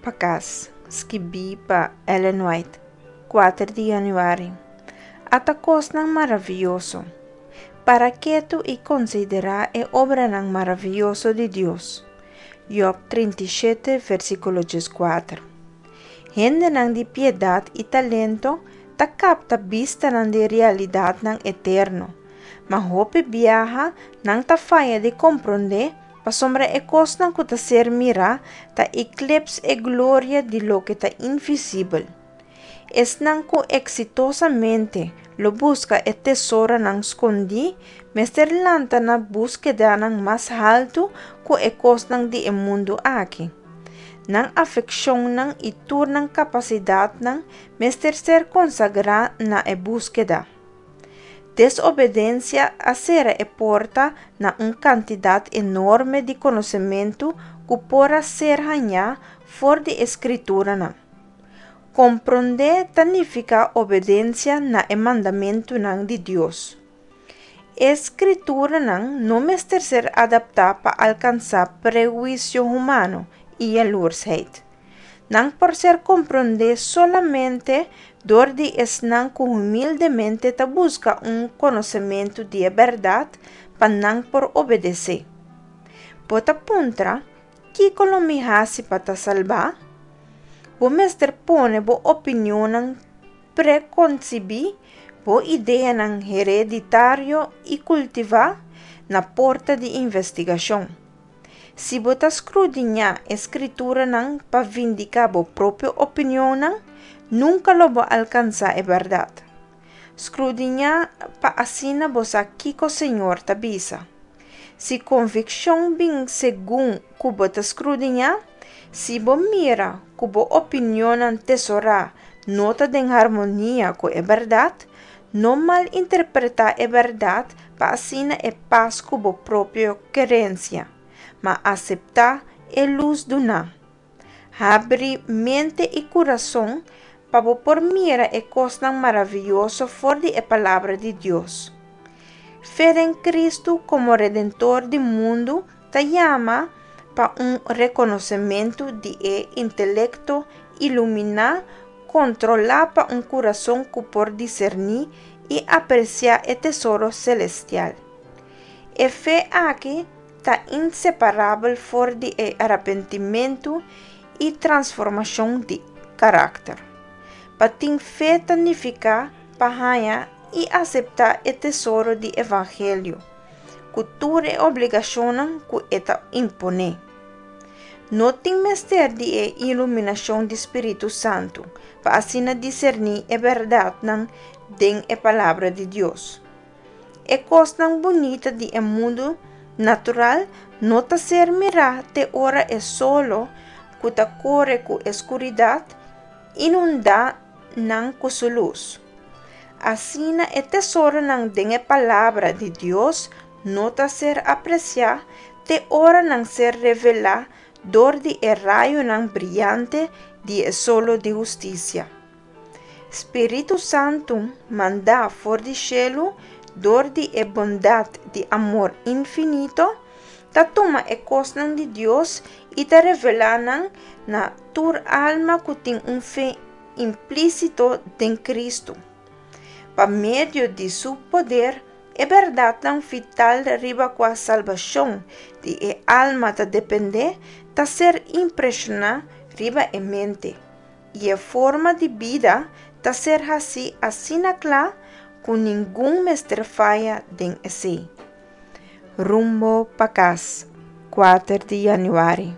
pa kas, skibí pa Ellen White, 4 di yanüari. Ata kosnan maravioso! Para ketu i konsiderá e obranan maravioso di Dios. Job 37, versíkulo 14. Hendenan di piedat i talento ta kapta bistanan di realidatnan eterno, ma hopi biaha nan ta faya di komprondé pasobra e kosnan ku ta ser mirá ta eklips e gloria di loke ta invisibel. Esnan ku eksitosamente lo buska e tesoronan skondí mester lanta na búskedanan mas haltu ku e kosnan di e mundu aki. Nan afekshonnan i tur nan kapasidatnan mester ser konsagrá na e búskeda. Desobedensia a sera e porta na un kantidat enorme di konosementu ku por a ser hañá for di e Skrituranan. Komprondé ta nifiká obedensia na e mandamentunan di Dios. E Skrituranan no mester ser adaptá pa alkansá prehuisio humano i yalursheid. Nan por ser komprondé solamente dor di esnan ku humildemente ta buska un konosementu di e bèrdat pa nan por obedesé. Bo ta puntra, Kiko lo mi hasi pa ta salbá? Bo mester pone bo opinionnan prekonsibí, bo ideanan hereditario i kultivá, na porta di investigashon. Si bo ta skrudiñá e Skrituranan pa vindiká bo propio opinionnan, nunka lo bo alkansá e bèrdat. Skrudiñá pa asina bo sa kiko Señor ta bisa. Si konvikshon bin segun ku bo ta skrudiñá, si bo mira ku bo opinionnan tesorá no ta den harmonia ku e bèrdat, no malinterpretá e bèrdat pa asina e pas ku bo propio kerensia, ma aseptá e lus duná. Habri mente i kurason pa bo por mira e kosnan maravioso for di e Palabra di Dios. Fe den Kristu komo Redentor di mundu ta yama pa un rekonosementu di e intelekto iluminá kontrolá pa un kurason ku por diserní i apresiá e tesoro selestial. E fe aki ta inseparabel for di e arepentimentu i transformashon di karakter. Pa tin fe ta nifiká pa haña i aseptá e tesoro di evangelio, ku tur e obligashonnan ku e ta imponé. No tin mester di e iluminashon di Spiritu Santu pa asina diserní e bèrdatnan den e Palabra di Dios. E kosnan bunita di e mundu natural no ta ser mirá te ora e solo ku ta kore ku e skuridat inundá nan ku su lus. Asina e tesoronan den e Palabra di Dios no ta ser apresiá te ora nan ser revelá dor di e rayonan briante di e solo di hustisia. Spiritu Santu mandá for di shelu dor di e bondat di amor infinito, ta tuma e kosnan di Dios i ta revelá nan na tur alma ku tin un fe implísito den Kristu. Pa medio di Su poder, e bèrdatnan vital riba kua salbashon di e alma ta dependé ta ser impreshoná riba e mente, i e forma di bida ta ser hasí asina kla ku ningun mester faya den esei. Rumbo pa kas, 4 di yanüari.